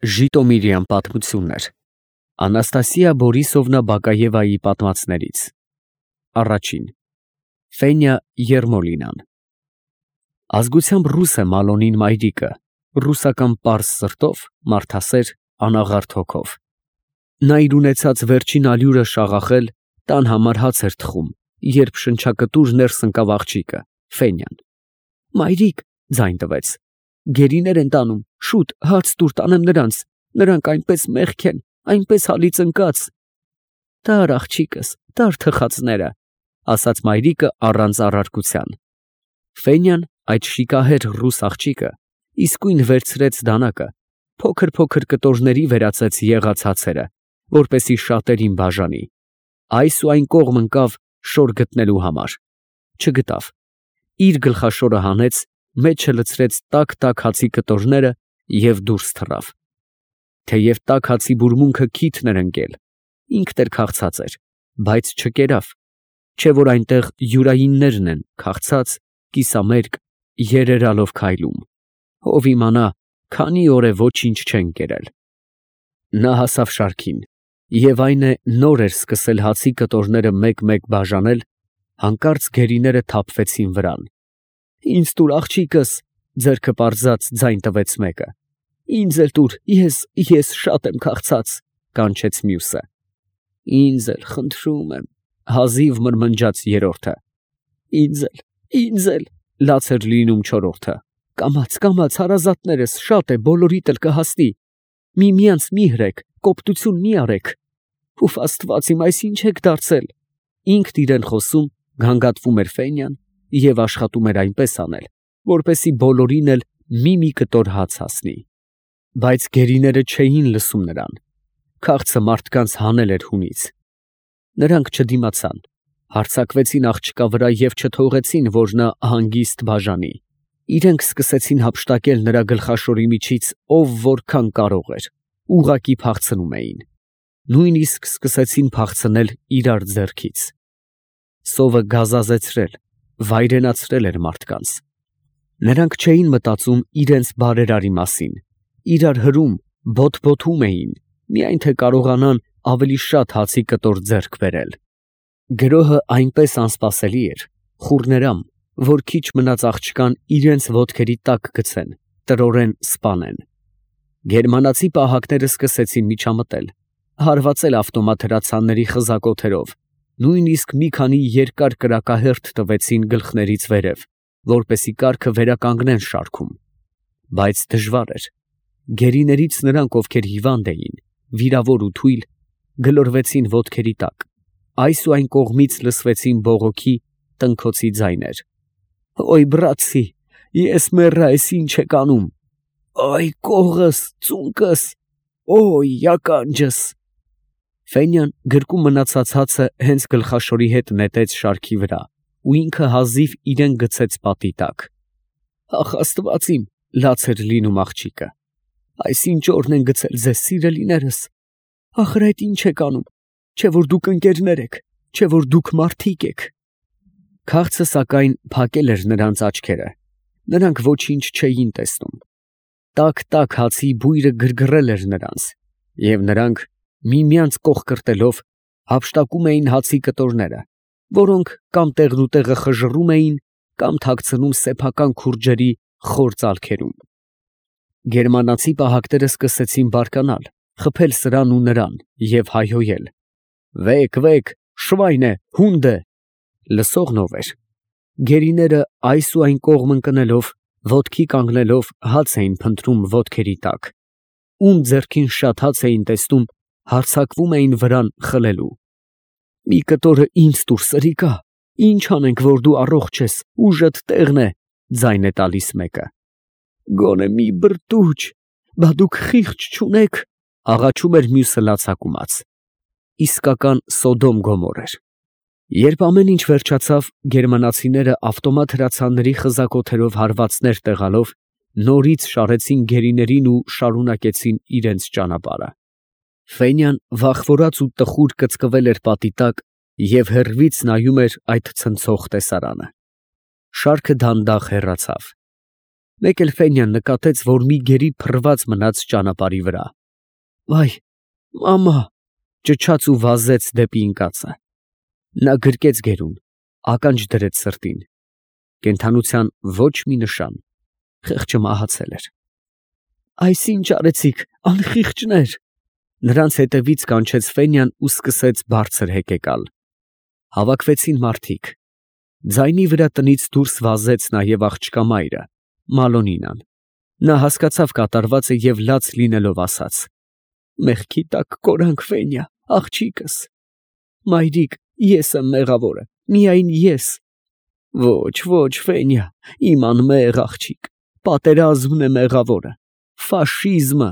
Ժիտոմիրյան պատմություններ Անաստասիա Բորիսովնա Բակաևայի պատմածներից Առաջին Ֆենյա Երմոլինան Ազգությամբ ռուս է Մալոնին մայրիկը, ռուսական պարզ սրտով, մարդասեր, անաղարտ հոգով։ Նա իր ունեցած վերջին ալյուրը շաղախել տան համար հաց էր թխում, երբ շնչակտուր ներս ընկավ աղջիկը, Ֆենյան։ Մայրիկ, ձայն տվեց, գերիներ են տանում, շուտ հաց տուր տանեմ նրանք այնպես մեղք են, այնպես հալից ընկած։ Տար աղջիկս, տար թխածները, ասաց մայրիկը առանց առարկության։ Ֆենյան, այդ շիկահեր ռուս աղջիկը, իսկույն վերցրեց դանակը, փոքր կտորների վերածեց եղած հացերը, որպեսի շատերին բաժանի։ Այս ու այն կողմ ընկավ շոր գտնելու համար։ Չգտավ։ Իր գլխաշորը հանեց, մեջը լցրեց տաք հացի կտորները և դուրս թռավ։ Թեև տաք հացի բուրմունքը քիթն էր ընկել, ինքն էլ քաղցած էր, բայց չկերավ, չէ որ այնտեղ յուրայիններն են քաղցած, կիսամերկ, երերալով քայլում։ Ով իմանա, քանի օր է ոչինչ չեն կերել։ Նա հասավ շարքին, և այն է նոր էր սկսել հացի կտորները մեկ բաժանել, հանկարծ գերիները թափվեցին վրան։ Ինձ տուր աղջիկս, ձեռքը պարզած ձայն տվեց մեկը։ Ինձ էլ տուր, ես շատ եմ քաղցած, կանչեց մյուսը։ Ինձ էլ, խնդրում եմ, հազիվ մրմնջաց երրորդը։ Ինձ էլ, լաց էր լինում չորրորդը։ Կամաց հարազատներս, շատ է, բոլորիդ էլ կհասնի։ Միմյանց մի հրեք, կոպտություն մի արեք։ Ուֆ Աստված իմ, այս ինչ եք դարձել։ Ինքն իրեն խոսում, գանգատվում էր Ֆենյան և աշխատում էր այնպես անել, որպեսի բոլորին էլ մի կտոր հաց հասնի։ Բայց գերիները չէին լսում նրան։ Քաղցը մարդկանց հանել էր հունից։ Նրանք չդիմացան, հարձակվեցին աղջկա վրա և չթողեցին, որ նա հանգիստ բաժանի։ Իրենք սկսեցին հափշտակել նրա գլխաշորի միջից, ով որքան կարող էր, ուղղակի փախցնում էին։ Նույնիսկ սկսեցին փախցնել իրար ձեռքից։ Սովը գազազեցրել, վայրենացրել էր մարդկանց։ Նրանք չէին մտածում իրենց բարերարի մասին, իրար հրում, բոթբոթում էին, միայն թե կարողանան ավելի շատ հացի կտոր ձեռք բերել։ Գրոհը այնպես անսպասելի էր, խուռներամ, որ քիչ մնաց աղջկան իրենց ոտքերի տակ գցեն, տրորեն սպանեն։ Գերմանացի պահակները սկսեցին միջամտել, հարվածել ավտոմատ հրացանների խզակոթերով, նույնիսկ մի քանի երկար կրակահերթ տվեցին գլխներից վերև, որպեսի կառքը վերականգնեն շարքում։ Բայց դժվար էր։ Գերիներից նրանք, ովքեր հիվանդ էին, վիրավոր ու թույլ, գլորվեցին ոտքերի տակ, այս ու այն կողմից լսվեցին բողոքի, տնքոցի ձայներ։ Ոյ բրացի, ես մեռա, ես ինչ եք անում։ Այ կողս, ծունկս, ոյ ականջս։ Ֆենյան գրկում մնացած հացը հենց գլխաշորի հետ նետեց շարքի վրա ու ինքը հազիվ իրեն գցեց պատի տակ։ Ախ Աստված իմ, լաց էր լինում աղջիկը։ Այս ինչ օրն են գցել ձեզ, սիրելիներս։ Ախր այդ ինչ եք անում, չէ որ դուք ընկերներ եք, չէ որ դուք մարդիկ եք։ Քաղցը սակայն փակել էր նրանց աչքերը, նրանք ոչինչ չէին տեսնում։ Տաք հացի բույրը գրգռել էր նրանց, և նրանք միմյանց կողկրտելով հափշտակում էին հացի կտորները, որոնք կամ տեղնուտեղը խժռում էին, կամ թաքցնում սեփական քուրջերի խոր ծալքերում։ Գերմանացի պահակները սկսեցին բարկանալ, խփել սրան ու նրան և հայհոյել. Վեկ, շվայն է, հունդ է։ Լսողն ով էր։ Գերիները այս ու այն կողմ ընկնելով, ոտքի կանգնելով հաց էին փնտրում ոտքերի տակ։ Ում ձեռքին շատ հաց էին տեսնում, հարձակվում էին վրան խլելու։ Մի կտորը ինձ տուր, սրիկա, ինչ անենք, որ դու առողջ ես, ուժդ տեղն է, ձայն է տալիս մեկը։ Գոնե մի բրդուճ, բա դուք խիղճ չունեք, աղաչում էր մյուսը լացակումած։ Իսկական Սոդոմ Գոմոր էր։ Երբ ամեն ինչ վերջացավ, գերմանացիները ավտոմատ հրացանների խզակոթերով հարվածներ տեղալով, նորից շարեցին գերիներին ու շարունակեցին իրենց ճանապարհը։ Ֆենյան վախվորած ու տխուր կծկվել էր պատի տակ և հեռվից նայում էր այդ ցնցող տեսարանը։ Շարքը դանդաղ հեռացավ։ Մեկ էլ Ֆենյան նկատեց, որ մի գերի փռված մնաց ճանապարհի վրա։ «Վայ, մամա», ճչաց ու վազեց դեպի ընկածը։ Նա գրկեց գերուն, ականջ դրեց սրտին։ Կենդանության ոչ մի նշան, խեղճը մահացել էր։ «Այս ինչ արեցիք, անխիղճներ»։ Նրանց հետևից կանչեց Ֆենյան ու սկսեց բարձր հեկեկալ։ Հավաքվեցին մարդիկ։ Ձայնի վրա տնից դուրս վազեց նաև աղջկա մայրը, Մալոնինան։ Նա հասկացավ կատարվածը և լաց լինելով ասաց. «Մեղքի տակ կորանք, Ֆենյա, աղջիկս»։ «Մայրիկ, ես եմ մեղավորը, միայն ես»։ «Ոչ, ոչ, Ֆենյա, իմ անմեղ աղջիկ, պատերազմն է մեղավորը, ֆաշիզմը,